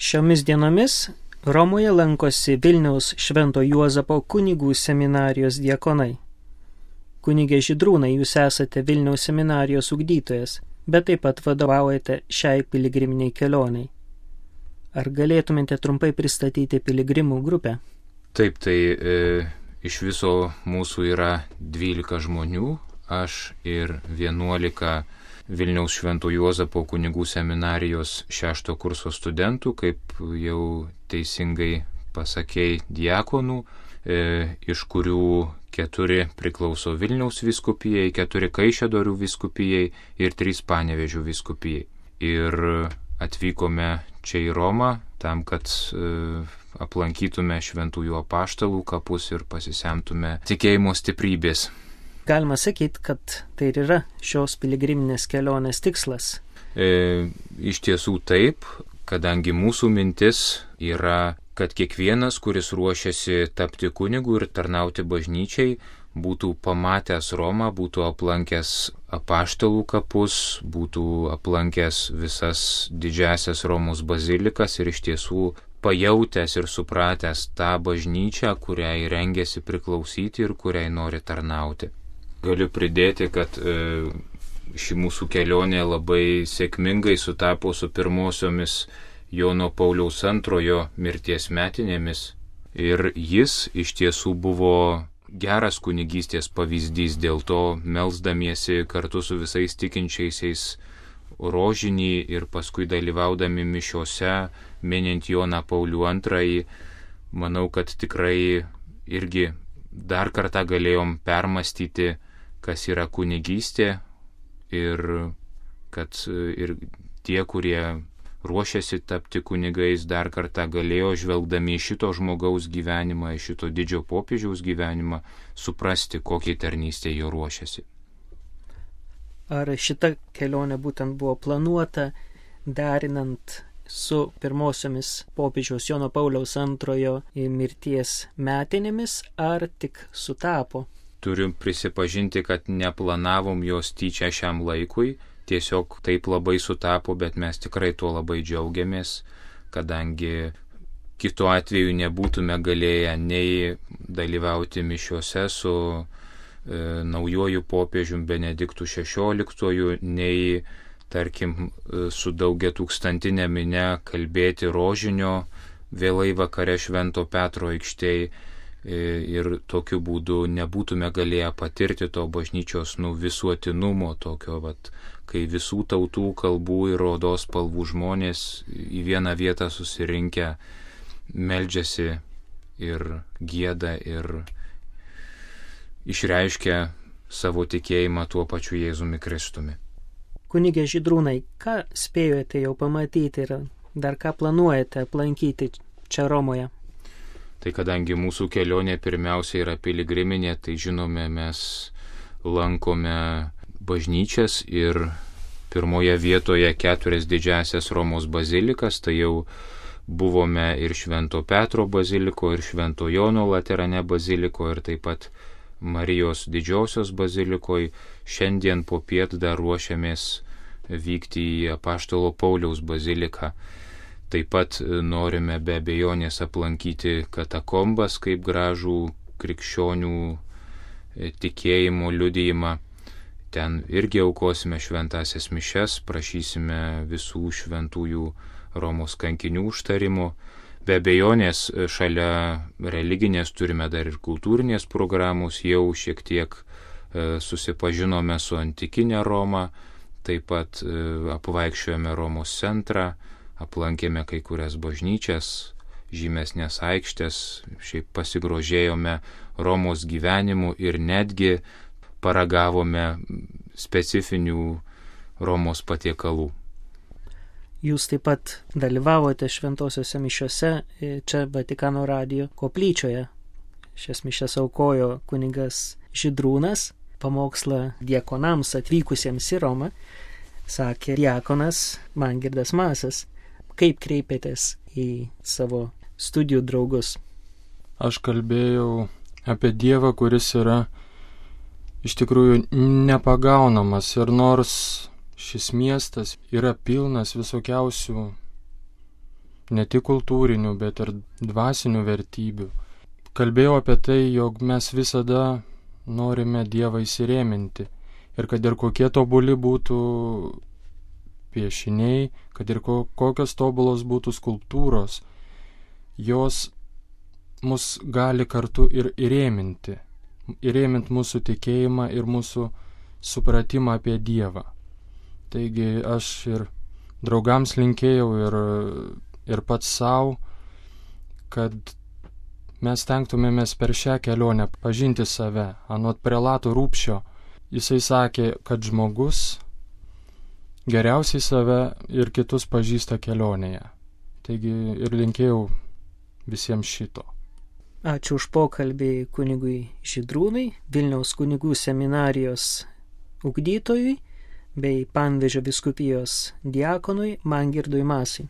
Šiomis dienomis Romoje lankosi Vilniaus Švento Juozapo kunigų seminarijos diakonai. Kunigė Žydrūnai, jūs esate Vilniaus seminarijos ugdytojas, bet taip pat vadovaujate šiai piligriminiai kelioniai. Ar galėtumėte trumpai pristatyti piligrimų grupę? Taip, tai iš viso mūsų yra 12 žmonių, aš ir 11 Vilniaus Švento Juozapo kunigų seminarijos 6 kurso studentų, kaip jau teisingai pasakei, diakonų, iš kurių 4 priklauso Vilniaus vyskupijai, 4 Kaišiadorių vyskupijai ir 3 Panevėžio vyskupijai. Ir atvykome čia į Romą tam, kad aplankytume šventųjų apaštalų kapus ir pasisemtume tikėjimo stiprybės. Galima sakyti, kad tai ir yra šios piligriminės kelionės tikslas. Iš tiesų taip, kadangi mūsų mintis yra, kad kiekvienas, kuris ruošiasi tapti kunigu ir tarnauti bažnyčiai, būtų pamatęs Romą, būtų aplankęs apaštalų kapus, būtų aplankęs visas didžiasias Romos bazilikas ir iš tiesų pajautęs ir supratęs tą bažnyčią, kuriai rengiasi priklausyti ir kuriai nori tarnauti. Galiu pridėti, kad ši mūsų kelionė labai sėkmingai sutapo su pirmosiomis Jono Pauliaus II mirties metinėmis ir jis iš tiesų buvo geras kunigystės pavyzdys, dėl to melsdamiesi kartu su visais tikinčiaisiais rožinį ir paskui dalyvaudami mišiose, minint Joną Paulių II, manau, kad tikrai irgi dar kartą galėjom permastyti, kas yra kunigystė ir kad ir tie, kurie ruošiasi tapti kunigais, dar kartą galėjo, žvelgdami į šito žmogaus gyvenimą, į šito didžio popiežiaus gyvenimą, suprasti, kokiai tarnystė jo ruošiasi. Ar šita kelionė būtent buvo planuota, derinant su pirmosiomis popiežiaus Jono Pauliaus II mirties metinėmis, ar tik sutapo? Turiu prisipažinti, kad neplanavom jos tyčia šiam laikui, tiesiog taip labai sutapo, bet mes tikrai tuo labai džiaugiamės, kadangi kitu atveju nebūtume galėję nei dalyvauti mišiuose su naujuoju popiežium Benediktu XVI, nei, tarkim, su daugiatūkstantinė minia kalbėti rožinio vėlai vakare Švento Petro aikštėj. Ir tokiu būdu nebūtume galėję patirti to bažnyčios visuotinumo, tokio, kai visų tautų, kalbų ir odos spalvų žmonės į vieną vietą susirinkę meldžiasi ir gieda ir išreiškia savo tikėjimą tuo pačiu Jėzumi Kristumi. Kunigė Žydrūnai, ką spėjote jau pamatyti ir dar ką planuojate aplankyti čia Romoje? Tai kadangi mūsų kelionė pirmiausia yra piligriminė, tai žinome, mes lankome bažnyčias ir pirmoje vietoje 4 didžiasias Romos bazilikas, tai jau buvome ir Švento Petro baziliko, ir Švento Jono Laterane baziliko, ir taip pat Marijos didžiosios bazilikoje. Šiandien popiet dar ruošiamės vykti į Apaštalo Pauliaus baziliką. Taip pat norime be abejonės aplankyti katakombas kaip gražų krikščionių tikėjimo liudijimą. Ten irgi aukosime šventąsias mišias, prašysime visų šventųjų Romos kankinių užtarimo. Be abejonės šalia religinės turime dar ir kultūrinės programos, jau šiek tiek susipažinome su antikinė Roma, taip pat apvaikščiojome Romos centrą, aplankėme kai kurias bažnyčias, žymesnės aikštės, šiaip pasigrožėjome Romos gyvenimu ir netgi paragavome specifinių Romos patiekalų. Jūs taip pat dalyvavote šventosiuose mišiuose čia Vatikano radijo koplyčioje. Šias mišias aukojo kunigas Žydrūnas, pamokslą diakonams atvykusiems į Romą, sakė diakonas Mangirdas Masas. Kaip kreipėtės į savo studijų draugus? Aš kalbėjau apie Dievą, kuris yra iš tikrųjų nepagaunamas ir nors šis miestas yra pilnas visokiausių ne tik kultūrinių, bet ir dvasinių vertybių. Kalbėjau apie tai, jog mes visada norime Dievą įsirėminti ir kad ir kokie tobuli būtų piešiniai, kad ir kokios tobulos būtų skulptūros, jos mus gali kartu ir įrėminti mūsų tikėjimą ir mūsų supratimą apie Dievą. Taigi aš ir draugams linkėjau ir pats savo, kad mes tenktumėmės per šią kelionę pažinti save. Anot prelato Rūpščio, jisai sakė, kad žmogus geriausiai save ir kitus pažįsta kelionėje. Taigi ir linkėjau visiems šito. Ačiū už pokalbį kunigui Žydrūnui, Vilniaus kunigų seminarijos ugdytojui bei Panevėžio vyskupijos diakonui Mangirdui Masai.